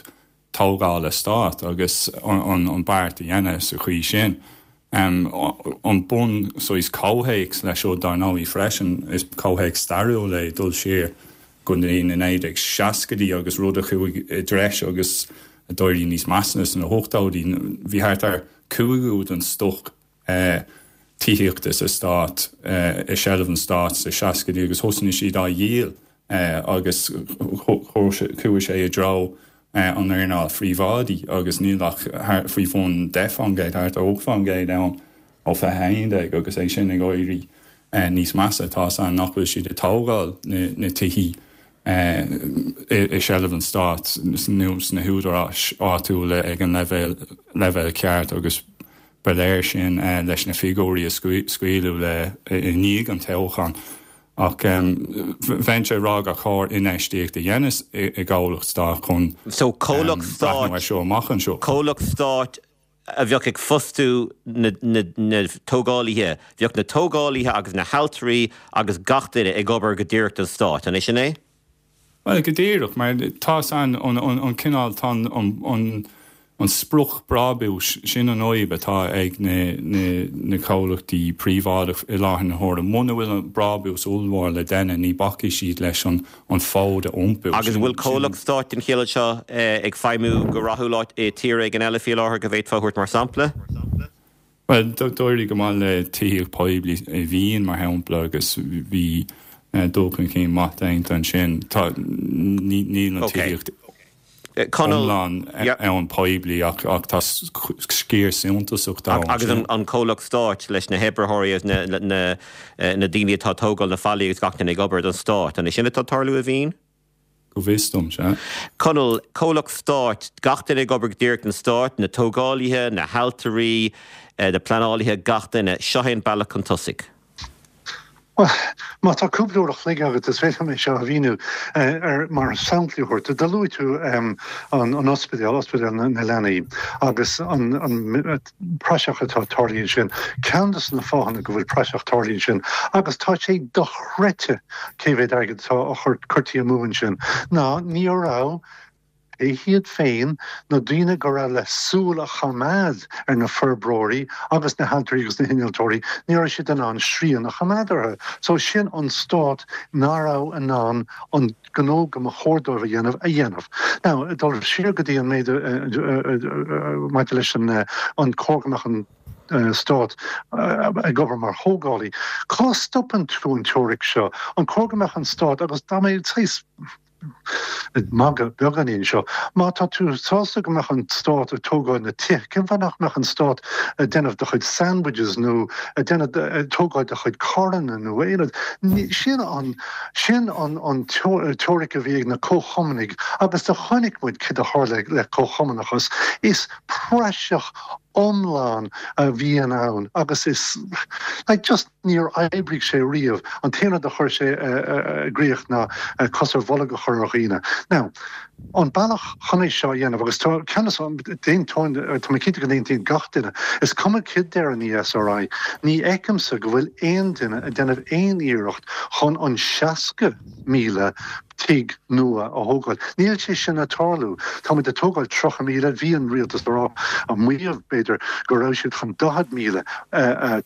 D: tógála Stáit agus an beart a dhéanamh sa chaoi sin. An bun saghas comhthéacs leis seo dar ndóigh freisin, is comhthéacs stairiúil é dul siar go dtí na 1960idí agus rud a chuaigh i dtreis agus a d'éirigh níos measa sna hochtóidí. Bhí thart ar cúigiú den stoc tithíochta sa stát i seilbh an stáit sna seascaidí agus thosnaigh siad á dhíol agus chuaigh sé i dtreo an earnáil phríobháidí agus níl ach faoi bhun 10%, thart ar 8% ann ó 2011 agus é sin ag éirí níos measa. Tá's a'inn nach bhfuil siad ag tógáil na tithí i seilbh an stáit nó sna húdaráis áitiúla ag an leibhéal ceart agus ba léir sin leis na figiúirí a scaoileadh le i ndiaidh an toghcháin. Ach bheinnse ag rá gur chóir infheistíocht a dhéanamh i gcomhlacht stáit chun
A: breathnú air seo amach anseo. Comhlacht stáit a bheadh ag fostú na tógálaithe, bheadh na tógálaithe agus na hailtirí agus gach duine ag obair go díreach don stát, an é sin é?
D: Bhuel, go díreach, mar tá's a'inn an cineál, tá an sprioc brábúis, sin an fhadhb atá ag na comhlachtaí príobháideach i láthair na huaire. Muna bhfuil an brábús ollmhór le déanamh, ní bacfaidh siad leis an fód a iompú.
A: Agus an bhfuil comhlacht stáit den chineál seo ag feidhmiú go rathúil áit i tír éigin eile faoi láthair go bhféadfá a thabhairt mar sampla?
D: Bhuel, d'éirigh go maith le tithíocht poiblí i Vín, mar shampla, agus bhí dul chun cinn maith déanta ansin. Tá, níl an tithíocht iomlán ann poiblí ach tá sciar suntasach
A: dó ansin. Agus an comhlacht stáit leis na hoibritheoirí agus na daoine atá ag tógáil na fallaí agus gach duine ag obair don stát, an é sin atá ag tarlú i Vín?
D: Go bhfios dom, sea.
A: Conall, comhlacht stáit, gach duine ag obair go díreach don stát, na tógálaithe, na hailtirí, na pleanálaithe, gach duine. Seo é an bealach chun tosaigh.
E: Bhuel, má tá cúpla uair a chloig agat, is féidir liom é seo a mhíniú ar mar samplaí a thabhairt. Do luaigh tú an ospidéal, Ospidéal na Leanaí, agus an praiseach atá tarlaithe ansin. Ceann de na fáthanna go bhfuil praiseach tarlaithe ansin, agus tá sé dochreidte cé mhéad airgead atá á chur curtha amú ansin, ná ní raibh Pé hiad féin, na daoine go raibh le súil a choimeád ar na forbróirí agus na hailtirí agus na hinnealtóirí, ní raibh siad in ann srian a choimeád orthu. So sin an stát nach raibh in ann an gnó go mba chóir dóibh a dhéanamh, a dhéanamh. Now, ag dul siar go dtí an méid maidir leis an an cóir go mbeadh an stát ag obair mar thógálaí, cá stopann tú an teoiric seo? An cóir go mbeadh an stát, agus tá mé saghas, ag magadh beagáinín anseo. Má tá tú sásta go mbeadh an stát ag tógáil na tithe, cén fáth nach mbeadh an stát ag déanamh do chuid sandwiches nó ag déanamh, ag tógáil do chuid carranna nó aon rud? Sin an, sin an, an teoiric a bhí ag na comhchumannaigh agus do chonaic muid céard a tharla le comhchumannachas. Is praiseach iomlán a bhíonn ann agus is, like, just. Níor oibrigh sé riamh. An t-aon rud a chuir sé i gcrích ná cos ar bholg a chur ar dhaoine. Now, an bealach chun é seo a dhéanamh, agus tá ceannas, d'aontóinn, tá mé cinnte go n-aontaíonn gach duine, is cuma céard deir an ESRI, ní fheicimse go bhfuil aon duine ag déanamh aon iarracht chun an 60,000 tigh nua a thógáil. Níl sé sin ag tarlú. Táimid ag tógáil 30,000, bhí an rialtas ag rá, ag maíomh b'fhéidir, go raibh siad chun 40,000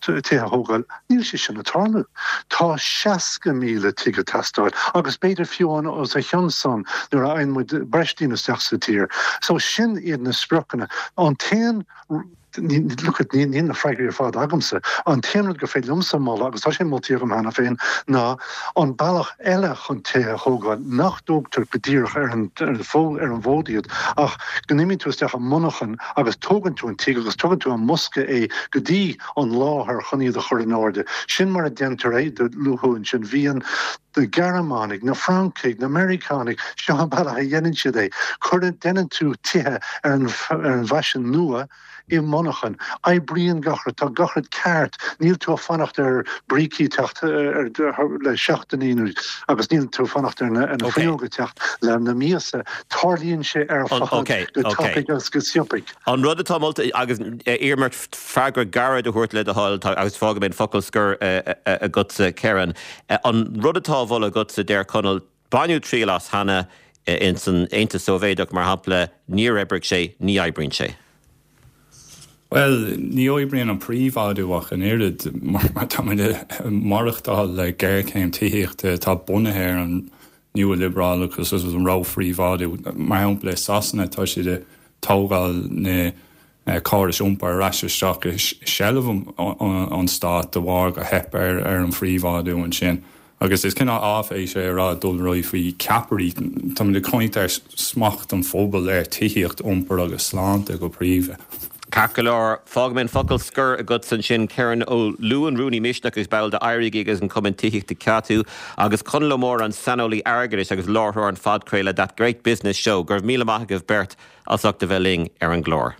E: tithe a thógáil. Níl sé sin ag tarlú. Tá 60,000 tigh ag teastáil agus b'fhéidir fiú amháin os a chionn san nuair a fhaigheann muid breis daoine isteach sa tír. So sin iad na spriocanna. An t-aon. Look, níl na freagraí ar fad agamsa. An t-aon rud gur féidir liomsa a mholadh, agus tá sé moltaí agam cheana féin, ná an bealach eile chun tithe a thógáil, nach dtógtar go díreach ar an ar an bhfód iad, ach go n-imíonn tú isteach i monarchan agus tógann tú an tigh agus tugann tú i mbosca é go dtí an láthair chun iad a chur in airde. Sin mar a déantar é, do luaigh tú ansin Vín. Na Gearmánaigh, na Francaigh, na Meiriceánaigh, seo an bealach a dhéanann siad é. Cuireann, déanann tú tithe ar an bhfaisean nua i monarchan. Oibríonn gach rud, tá gach rud ceart, níl tú ag fanacht ar brící teacht le seachtainí nó agus níl tú ag fanacht ar na fuinneoga teacht le na míosa. Tarlaíonn sé ar fad go tapaidh agus go sciobtha.
A: An rud atá molta, agus iarraim ort freagra gairid a thabhairt le do thoil, agus fágfaidh mé an focal scoir agatsa, Kerron. An rud atá á mholadh agatsa, deir Conall, baineadh triail as cheana ins an Aontas Sóivéadach, mar shampla, níor oibrigh sé, ní oibríonn sé.
D: Bhuel, ní oibríonn an príobháidiú ach an oiread, mar táimid ag maireachtáil le géarchéim tithíochta atá bunaithe ar an nua-liobrálachas agus an ró-phríobháidiú. Mar shampla, i Sasana tá siad ag tógáil na córais iompair ar ais isteach i seilbh an stáit de bharr gur theip ar an phríobháidiú ansin. Agus is cineál áiféis é a rá dul ar aghaidh faoi cheapairí. Táimid ag caint ar smacht an phobail ar tithíocht, iompar agus sláinte go príomha.
A: Ceart go leor, fágfaidh mé an focal scoir agatsa ansin, Kerron Ó Luain, Rúnaí Misneach agus ball de Éirígí agus an Cumann Tithíochta CATU, agus Conall Ó Mórdha, an saineolaí airgeadais agus láithreoir an phodchraoladh That Great Business Show. Go raibh míle maith agaibh beirt as ucht a bheith linn ar an gclár.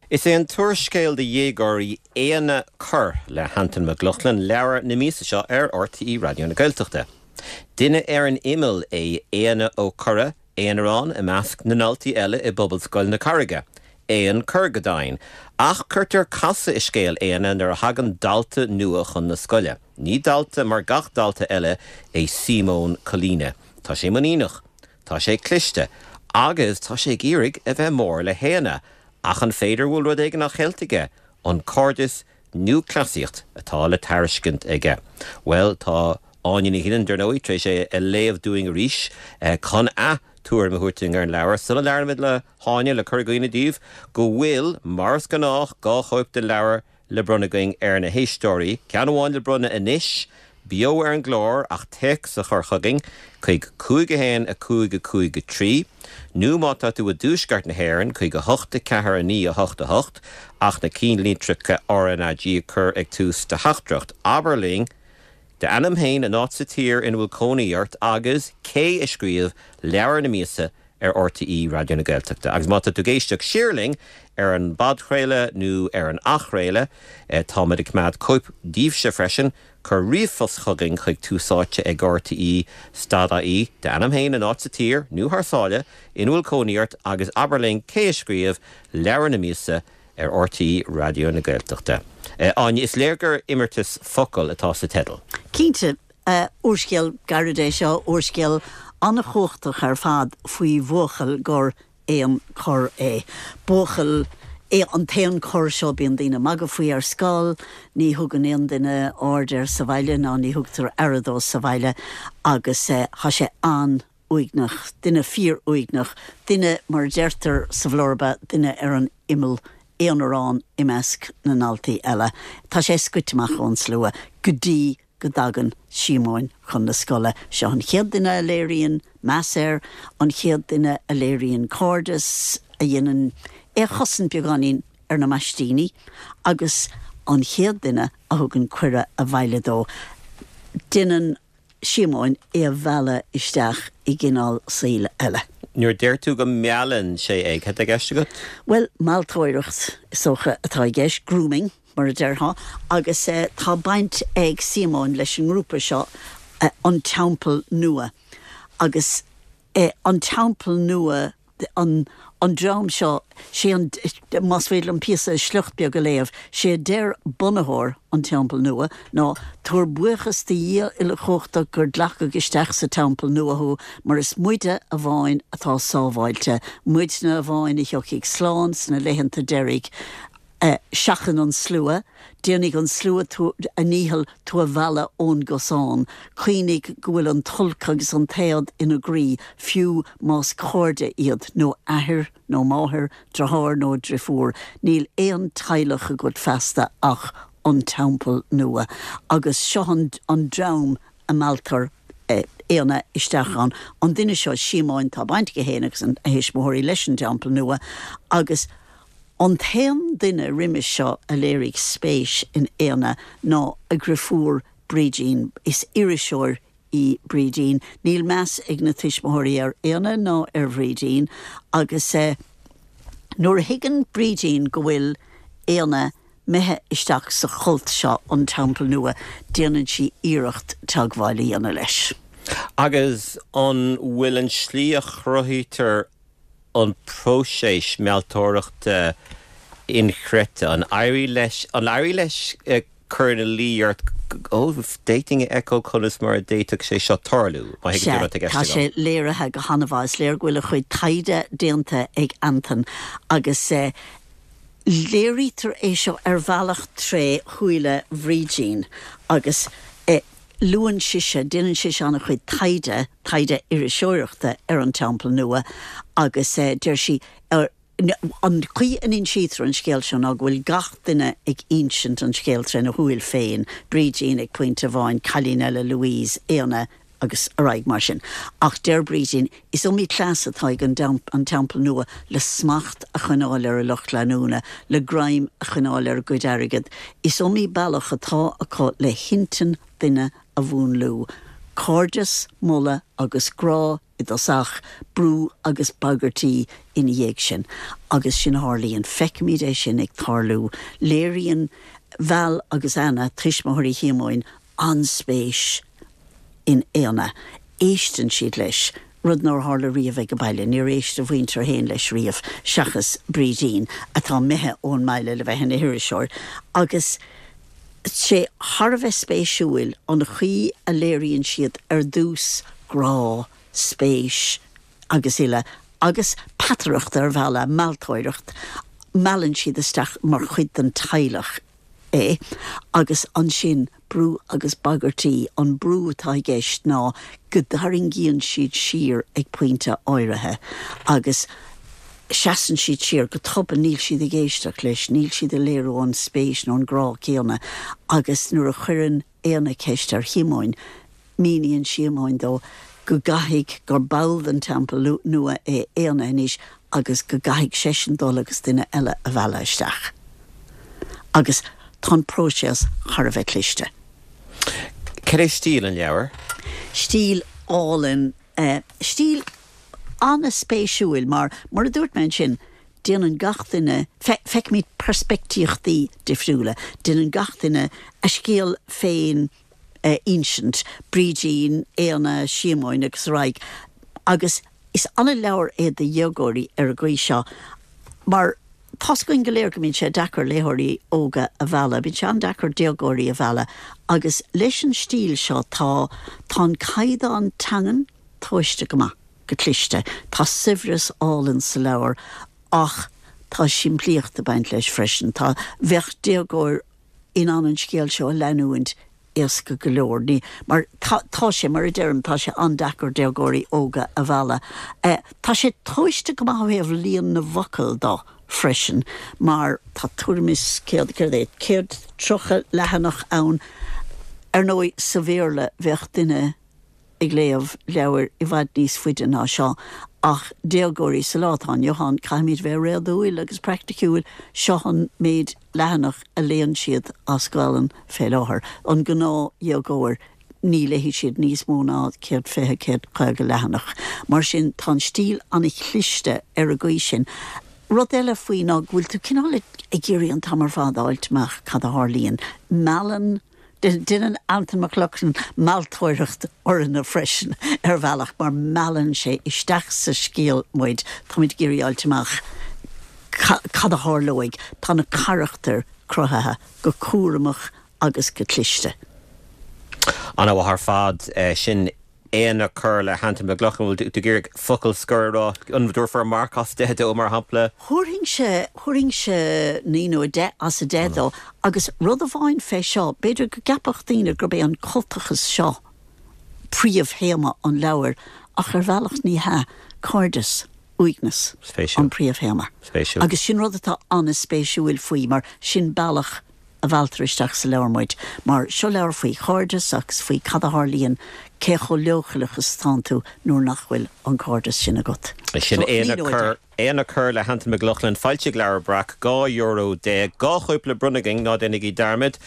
A: Is é an t-úrscéal do dhéagóirí Éanna Corr le hAntain Mac Lochlainn leabhar na míosa seo ar RTÉ Raidió na Gaeltachta. Duine ar an imeall é Éanna Ó Corra, aonarán i measc na ndaltaí eile i bPobalscoil na Carraige. Éan corr go deimhin. Ach cuirtear casadh i scéal Éanna nuair a thagann dalta nua chun na scoile. Ní dalta mar gach dalta eile é Síomón Colina. Tá sé muiníneach. Tá sé cliste. Agus tá sé ag iarraidh a bheith mór le hÉanna. Ach an féidir bhfuil rud éigin á cheilt aige? An cairdeas nó cleasaíocht atá le tairiscint aige? Bhuel, tá Áine Ní Ghiolláin, dar ndóigh, tar éis é a léamh dúinn arís chun a tuairim a thabhairt dúinn ar an leabhar. Sula labhraímid le hÁine, le cur i gcuimhne daoibh go bhfuil, mar is gnách, 2 chóip den leabhar le bronnadh againn ar na héisteoirí, ceann amháin le bronnadh anois, beo ar an gclár, ach téacs a chur chugainn chuig 5 1 5 5 3, nó má tá tú i dtuaisceart na hÉireann, chuig 8 4 9 8 8, ach na cinnlitreacha RnaG a chur ag tús do theachtaireacht. Abair linn d'ainm féin, an áit sa tír ina bhfuil cónaí ort agus cé a scríobh leabhar na míosa ar RTÉ Raidió na Gaeltachta. Agus má tá tú ag éisteacht siar linn ar an bpodchraoladh nó ar an athchraoladh, táimid ag coimeád cóip daoibhse freisin. Cuir ríomhphost chugainn chuig túsáite ag rte stad ie, d'ainm féin, an áit sa tír, nó thar sáile, ina bhfuil cónaí ort agus abair linn cé a scríobh leabhar na míosa ar RTÉ Raidió na Gaeltachta. Áine, is léir gur imeartas focal atá sa teideal.
F: Cinnte, Úrscéal gairid é seo, úrscéal an-chumhachtach ar fad faoi bhuachaill gur éan corr é. Buachaill é an t-éan corr seo, bíonn daoine ag magadh faoi ar scoil, ní thugann aon duine aird air sa bhaile ná ní thugtar aire dó sa bhaile agus tá sé an-. uaigneach, duine fíor-uaigneach, duine, mar a deirtear sa bhlurba, duine ar an imeall, aonarán i measc na ndaltaí eile. Tá sé scoite amach ón slua go dtí go dtagann Síomóin chun na scoile. Seo an chéad duine a léiríonn meas air, an chéad duine a léiríonn cairdeas, a dhéanann é a chosaint beagáinín ar na maistíní, agus an chéad duine a thugann cuireadh abhaile dó. Déanann. Síomóin é a mhealladh isteach i gcineál saoil eile.
A: Nuair a deir tú go meallann sé é, cad tá i gceist agat?
F: Bhuel, mealltóireacht, is dócha, atá i gceist, grooming, mar a déarfá, agus tá baint ag Síomóin leis an ngrúpa seo, An Teampall Nua, agus An Teampall Nua, an an dream seo, sé an, más féidir liom píosa, sliocht beag a léamh, sé a deir bunaitheoir an Teampall Nua ná, Tabhair buíochas do Dhia Uilechumhachtach gur glacadh isteach sa Teampall Nua thú, mar is muide amháin atá sábháilte, muidne amháin a thiocfaidh slán sna laethanta deiridh. Seachain an slua, déanfaidh an slua a ndícheall tú a mhealladh ón gcosán. Cuimhnigh go bhfuil an t-olc agus an t-éad ina gcroí, fiú más cairde iad, nó athair nó máthair, deartháir nó driofúr. Níl aon teaghlach agat feasta ach an Teampall Nua. Agus seo an dream a mealltar Éanna isteach ann. An duine seo, Síomóin, tá baint aige féin agus a thuismitheoirí leis an dTeampall Nua agus. An t-aon duine roimis seo a léirigh spéis in Éanna ná a dhriofúr Brídín. Is iriseoir í Brídín. Níl meas ag na tuismitheoirí ar Éanna ná ar Bhrídín agus nuair a thuigeann Brídín go bhfuil Éanna imithe isteach sa chult seo, an Teampall Nua, déanann sí iarracht teagmháil a dhéanamh leis.
A: Agus an bhfuil an tslí a chruthaítear an próiseas mealltóireachta inchreidte? An éirigh leis, an éirigh leis cur ina luí ort, ó, d'fhéadfainn a fheiceáil conas mar a d'fhéadfadh sé seo tarlú, má
F: thuigeann tú
A: rud
F: atá i gceist agam. Tá sé léirithe go han-mhaith. Is léir go bhfuil a chuid taighde déanta ag Antain agus léirítear é seo ar bhealach tré shúile Bhrídín agus luann sise, déanann sise an-chuid taighde, taighde iriseoireachta ar an Teampall Nua agus deir sí, an chaoi a n-insítear an scéal seo ná go bhfuil gach duine ag insint an scéil tréna shúil féin, Brídín ag pointe amháin, cailín eile, Louise, Éanna agus ar aghaidh mar sin. Ach deir Brídín, is iomaí cleas atá ag an an Teampall Nua le smacht a choinneáil ar a lucht leanúna, le greim a choinneáil ar a gcuid airgid. Is iomaí bealach atá acu le hintinn duine a mhúnlú. Cairdeas, moladh agus grá i dtosach, brú agus bagairtí ina dhiaidh sin. Agus sin a tharlaíonn. Feicimid é sin ag tarlú. Léiríonn Val agus Anna, tuismitheoirí Shíomóin, an-spéis in Éanna. Éisteann siad leis, rud nár tharla riamh ag an baile. Níor éist a mhuintir féin leis riamh, seachas Brídín, atá imithe ón mbaile le bheith ina hiriseoir. Agus sé thar a bheith spéisiúil an chaoi a léiríonn siad ar dtús grá, spéis agus uile, agus peataireacht ar bhealach, mealltóireacht, meallann siad isteach mar chuid den teaghlach é, agus ansin brú agus bagairtí, an brú atá i gceist ná go dtarraingíonn siad siar ag pointe áirithe agus seasann siad siar go tobann, níl siad ag éisteacht leis, níl siad ag léiriú an spéis nó an grá céanna agus nuair a chuireann Éanna ceist ar Shíomóin, míníonn Síomóin dó go gcaithfidh, gur ball den Teampall Nua é Éanna anois agus go gcaithfidh seisean dul agus duine eile a mhealladh isteach. Agus tá an próiseas thar a bheith cliste.
A: Cad é stíl an leabhair?
F: Stíl álainn. Stíl an-spéisiúil mar, mar a dúirt mé ansin, déanann gach duine, feicimid peirspictíochtaí difriúla, déanann gach duine a scéal féin a insint, Brídín, Éanna, Síomóin agus ar aghaidh, agus is an-leabhar é do dhéagóirí ar an gcaoi seo mar tá's againn go léir go mbíonn sé deacair léitheoirí óga a mhealladh, bíonn sé an-deacair déagóirí a mhealladh agus leis an stíl seo tá, tá an caighdeán teangan tomhaiste go maith, go cliste. Tá saibhreas álainn sa leabhar ach tá simplíocht ag baint leis freisin. Tá, bheadh déagóir in ann an scéal seo a leanúint éasca go leor. Ní, mar tá, tá sé, mar a deirim, tá sé an-deacair déagóirí óga a mhealladh. Tá sé tomhaiste go maith ó thaobh líon na bhfocal do freisin, mar tá tuairim is céad, céard é, 130 leathanach ann. Ar ndóigh, sa Bhéarla bheadh duine ag léamh leabhair i bhfad níos faide ná seo, ach déagóirí sa lá atá inniu ann, caithfimid bheith réadúil agus praiticiúil, seo an méid leathanach a léann siad as Gaolainn fé láthair. An gnáthdhéagóir, ní léifidh siad níos mó ná 120, 150 leathanach. Mar sin, tá an stíl an-chliste ar an gcaoi sin. Rud eile faoi ná go bhfuil tú cineál ag iarraidh an t-am ar fad a fháilt amach cad a tharlaíonn. Meallann. Déanann Antain Mac Lochlainn mealltóireacht orainne freisin ar bhealach mar meallann sé isteach sa scéal muid, táimid ag iarraidh fháilt amach cad a tharlóidh. Tá na carachtair cruthaithe go cúramach agus go cliste.
A: An-mhaith ar fad. Sin Éanna Corr le hAntain Mac Lochlainn. Bhfuil tú ag iarraidh focal scoir a rá? An dtabharfá marc as 10 dó, mar shampla?
F: Thabharfainnse, thabharfainnse 9 nó 10 as 10 dó. Agus rud amháin fé seo, b'fhéidir go gceapfadh daoine gurb é an cultachas seo príomhthéama an leabhair, ach ar bhealach ní hea. Cairdeas, uaigneas an príomhthéama.
A: Spéisiúil.
F: Agus sin rud atá an-spéisiúil faoi, mar sin bealach. a mhealltar isteach sa leabhar muid, mar seo leabhar faoi chairdeas agus faoi cad a tharlaíonn, cé chomh leochaileach is atánn tú nuair nach bhfuil an cairdeas sin agat.
A: Sin É na Cor, É na Cor le hAntain Mac Lochlainn, foilsithe ag Leabhar Breac, €12. 2 chóip le bronnadh againn, ná déanaigí dearmad.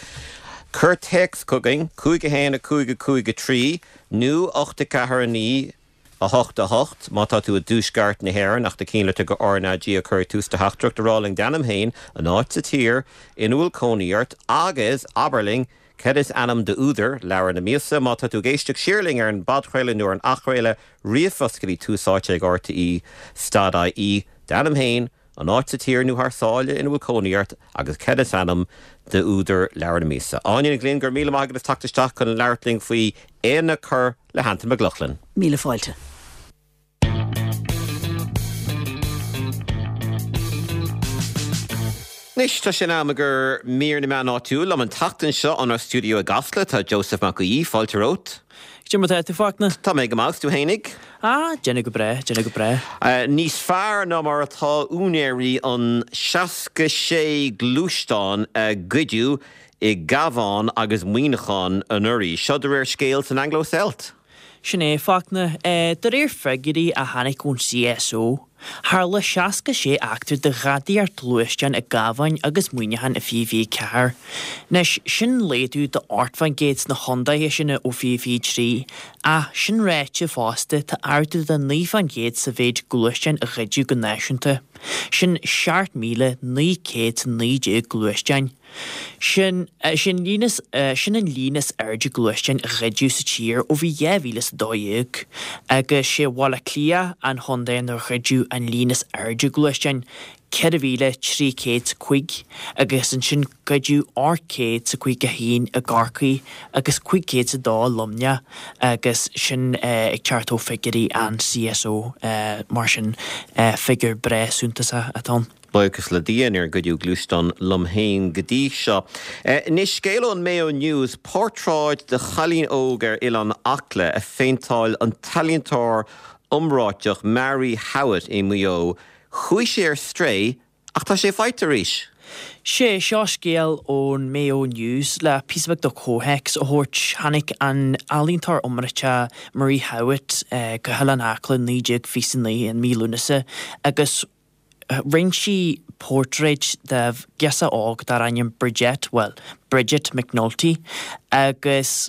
A: Cuir téacs chugainn, 5 1 5 5 3 nó 8 4 9 8 8, má tá tú i dtuaisceart na hÉireann, ach do chinnlitir go RnaG a chur ag tús do theachtaireacht, a rá linn d'ainm féin, an áit sa tír ina bhfuil cónaí ort agus abair linn cad is ainm d'údar leabhar na míosa. Má tá tú ag éisteacht siar linn ar an bpodchraoladh nó ar an athchraoladh, ríomhphost go dtí tús áite ag rte stad ie, d'ainm féin, an áit sa tír nó thar sáile ina bhfuil cónaí ort agus cad is ainm d'údar leabhar na míosa. Áine Ní Ghlinn, go raibh míle maith agat as teacht isteach chun labhairt linn faoi É na Cor le hAntain Mac Lochlainn.
F: Míle fáilte.
A: Anois tá sé in am i gcomhair mír na meán áitiúil. Liom an tseachtain seo inár stiúideo i gCasla tá Joseph Mac Aoidh. Fáilte romhat.
G: Cad é mar tá tú, Fachtna?
A: Tá mé go maith, 's tú fhéinig?
G: Ah, déanamh go breá, déanamh go breá.
A: Níos fearr ná mar atá úinéirí an 66 gluaisteán a goideadh i gCabhán agus Muineachán anuraidh. Seo de réir scéil san Anglo Celt.
G: Sin é, Fachtna. De réir figiúirí a tháinig ón CSO, tharla 66 eachtra de ghadaíocht gluaisteán i gCabhán agus Muineachán i 2024. Anois, sin laghdú de 8% sna chontaetha sin ó 2023, ach sin ráite fosta tá ardú de 9% sa mhéid gluaisteán a ghoideadh go náisiúnta. Sin 7,919 gluaisteán. Sin sin líon is sin an líon is airde gluaisteáin a ghoideadh sa tír ó bhí 2012, agus sé Bhaile Átha Cliath an chontae inar ghoideadh an líon is airde gluaisteáin, 4,305, agus ansin goideadh 851 i gCorcaigh agus 502 i Luimneach, agus sin ag teacht ó figiúirí an CSO, mar sin figiúr breá suntasach atá ann.
A: Buíochas le Dia níor goideadh gluaisteán liom féin go dtí seo. Anois, scéal ón Mayo News, portráid de chailín óg ar Oileán Acla a phéinteáil an t-ealaíontóir iomráiteach Marie Howitt i Maigh Eo. Chuaigh sé ar strae ach tá sé faighte arís.
G: Sé seo scéal ón Mayo News le píosa beag de chomhthéacs a thabhairt. Tháinig an ealaíontóir iomráiteach Marie Howitt go hOileán Acla i 1929 i mí Lúnasa agus Rinne sí portráid de ghirseach óg dar ainm Bridgette, bhuel, Bridget McNulty, agus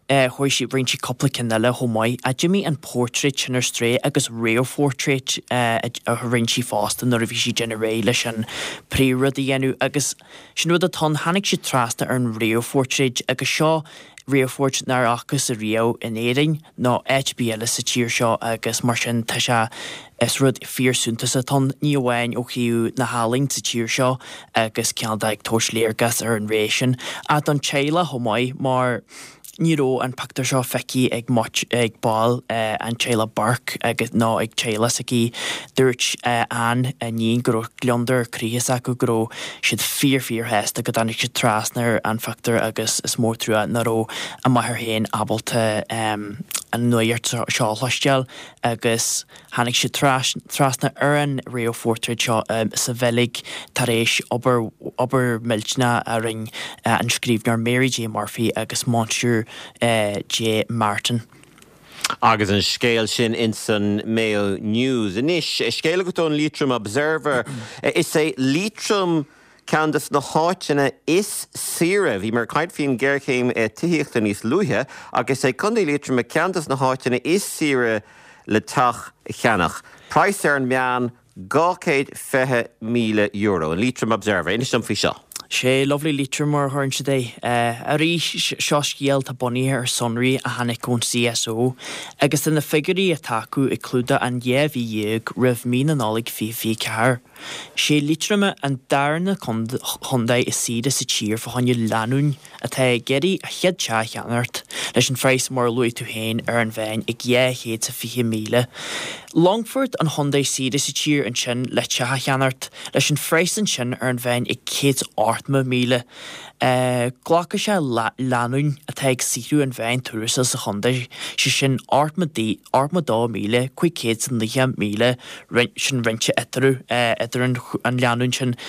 G: chuaigh sí, rinne sí cúpla ceann eile chomh maith. Ach d'imigh an portráid sin ar strae agus réamhphortráid a rinne sí fosta nuair a bhí sí ag déanamh réidh leis an príomhrud a dhéanamh agus sin rud atá ann, tháinig siad trasna ar an réamhphortráid agus seo réamhphortráid nár fhacthas ariamh in Éirinn. nó áit ar bith eile sa tír seo agus mar sin tá sé, is rud fíor suntasach atá ann, ní amháin ó thaobh na healaíne sa tír seo agus cineál de ag tabhairt léargas ar an ré sin ach don teaghlach chomh maith mar ní raibh an pictiúr seo feicthe ag ag baill an teaghlach Burke agus nó ag teaghlach s'aici. Dúirt Anne, a iníon, go raibh gliondar croí s'acu go raibh siad fíor fíor shásta go dtáinig siad trasna ar an phictiúr agus is mór trua nach raibh a máthair féin ábalta an nuacht seo a chloisteáil agus tháinig siad trasna ar an réamhphortráid seo sa Bheilg tar éis obair obair mhillteanach a rinne an scríbhneoir Mary J Murphy agus Monsieur J Martin.
A: Agus an scéal sin ins an Mayo News. Anois, scéal agat ón Leitrim Observer. Is é Liatroim ceann des na háiteanna is saoire. Bhíomar ag caint faoin ghéarchéim tithíochta níos luaithe agus is é Contae Liatroma ceann des na háiteanna is saoire le teach a cheannach. Praghas ar an meán, €220,000. An Leitrim Observer. Inis dom faoi seo.
G: Sé Lovely Leitrim mar a chuireann siad é. Arís, seo scéal atá bunaithe ar sonraí a tháinig ón CSO agus tá na figiúirí atá acu ag clúdach an 12 mhí roimh mí na Nollag 2024. Sé Liatroim an darna contae is saoire sa tír fá choinne lánúin atá ag iarraidh a chéad teach a cheannacht, leis an phraghas mar a luaigh tú féin ar an mheán ag 220,000. Longfort an chontae is saoire sa tír ansin le teach a cheannacht, leis an phraghas ansin ar an mheán ag 180,000. Glacfaidh sé lánúin atá ag saothrú an mheán tuarastail sa chontae, sé sin 82,590,000, sin roinnte eatarthu, idir an lánúin sin.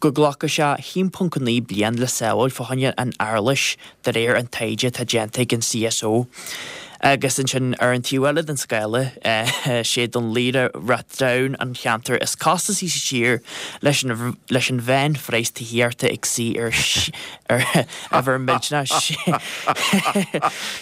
G: Go nglacfaidh sé 1.9 bliain le sábháil fá choinne an earlais de réir an taighde atá déanta ag an CSO. Agus ansin ar an taobh eile den scála, sé Dún Laoghaire Rathdown an cheantar is costasaí sa tír leis an leis an mheánphraghas tithíochta ag suí ar ar uimhir millteanach.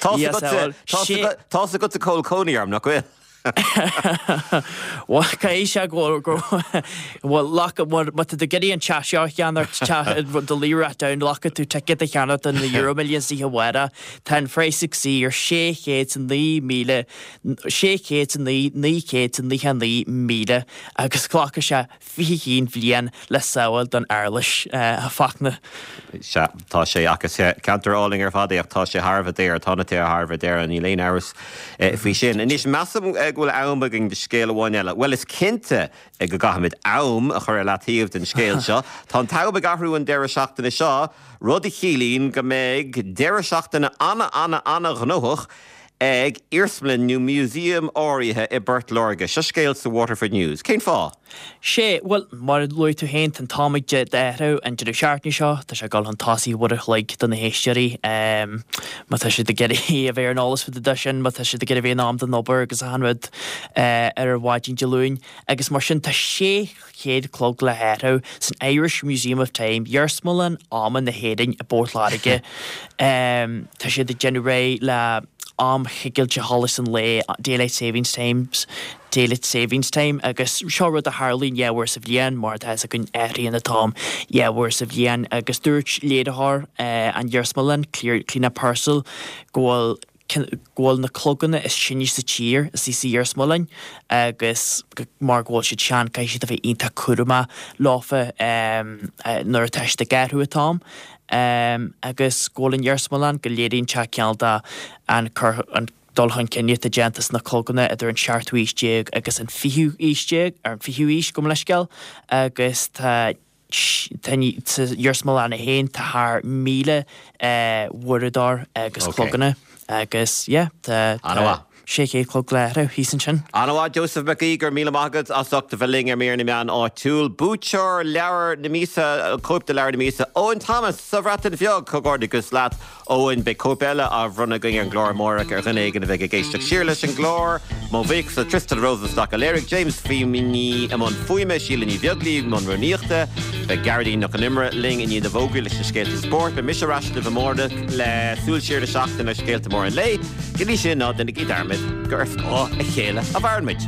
A: Tá's agatsa cá bhfuil cónaí orm, nach bhfuil?
G: Bhuel, caithfidh sé go bhfuil, má tá tú ag iarraidh an teach seo a cheannacht, teach Dún Laoghaire Rathdown, glacfaidh tú ticéad a cheannacht do na Euro Millions oíche amárach. Tá an phraghas ag suí ar 609,000, 609, 999,000 agus glacfaidh sé 21 bhliain le sábháil don earlais, a Fachtna.
A: Sea, tá sé, ach is ceantar álainn ar fad é, ach tá sé thar a bheith daor, tá na tithe thar a bheith daor, níl aon amhras faoi sin. Anois, measaim go bhfuil am againn do scéal amháin eile. Bhuel, is cinnte go gcaithfimid am a chur ar leataobh don scéal seo. Tá an t-am ag athrú an deireadh seachtaine seo, rud a chiallaíonn go mbeidh deireadh seachtaine ana-ana-ana-ghnóthach ag iarsmalann nó museum áirithe i bPort Láirge. Seo scéal sa Waterford News. Cén fáth?
G: Sé, bhuel, mar a luaigh tú féin, tá an t-am ag athrú an deireadh seachtaine seo, tá sé ag dul chun tosaigh uair a chloig do na héisteoirí, má tá siad ag iarraidh a bheith ar an eolas fá dtaobh de sin, má tá siad ag iarraidh a bheith in am don obair agus achan rud ar mhaidin Dé Luain. Agus mar sin, tá 600 clog le hathrú san Irish Museum of Time, Iarsmalann Ama na hÉireann i bPort Láirge. Tá siad ag déanamh réidh le am choigilte sholas an lae, Daylight Savings Times, Daylight Savings Time, agus seo rud a tharlaíonn 2 uair sa bhliain, mar atá fhios againn athraíonn an t-am 2 uair sa bhliain agus dúirt léiritheoir an iarsmalann, Clíona Purcell, go bhfuil go bhfuil na cloganna is sine sa tír istigh sa iarsmalann agus mar go bhfuil siad sean caithfidh siad a bheith iontach cúramach leofa nuair atá siad ag athrú an t-am agus go bhfuil an iarsmalann go léiríonn sé cineál de an cur an dul chun cinn atá déanta sna cloganna idir an seachtú haois déag agus an fichiú haois déag ar an fichiú haois gabh mo leithscéal agus tá Tá sa iarsmalann féin tá thar 1,000 uaireadóir agus cloganna agus yeah tá 600 clog le hathrú thíos ansin.
A: An-mhaith Joseph Mac Aoidh, go raibh míle maith agat as ucht a bheith linn ar Mír na Meán Áitiúil. Buaiteoir leabhar na míosa, cóip de leabhar na míosa, Eoin Thomas sa Bhreatain Bheag! Comhghairdeachas leat. Eoin, beidh cóip eile á bhronnadh againn ar an gclár amárach ar dhuine éigin a bheidh ag éisteacht siar leis an gclár. Mo bhuíochas le Tristan Rosenstock a léirigh, James Feeney i mbun fuaime, Síle Ní Bheaglaoí i mbun rúnaíochta. Beidh Gearóidín Nic Con Iomaire linn i ndiaidh na bhfógraí leis na scéalta spóirt. Beidh mise ar ais libh amárach le súil siar ar an seachtain agus scéalta móra an lae. Go dtí sin, ná déanaigí dearmad gur ar scáth a chéile a mhaireann muid.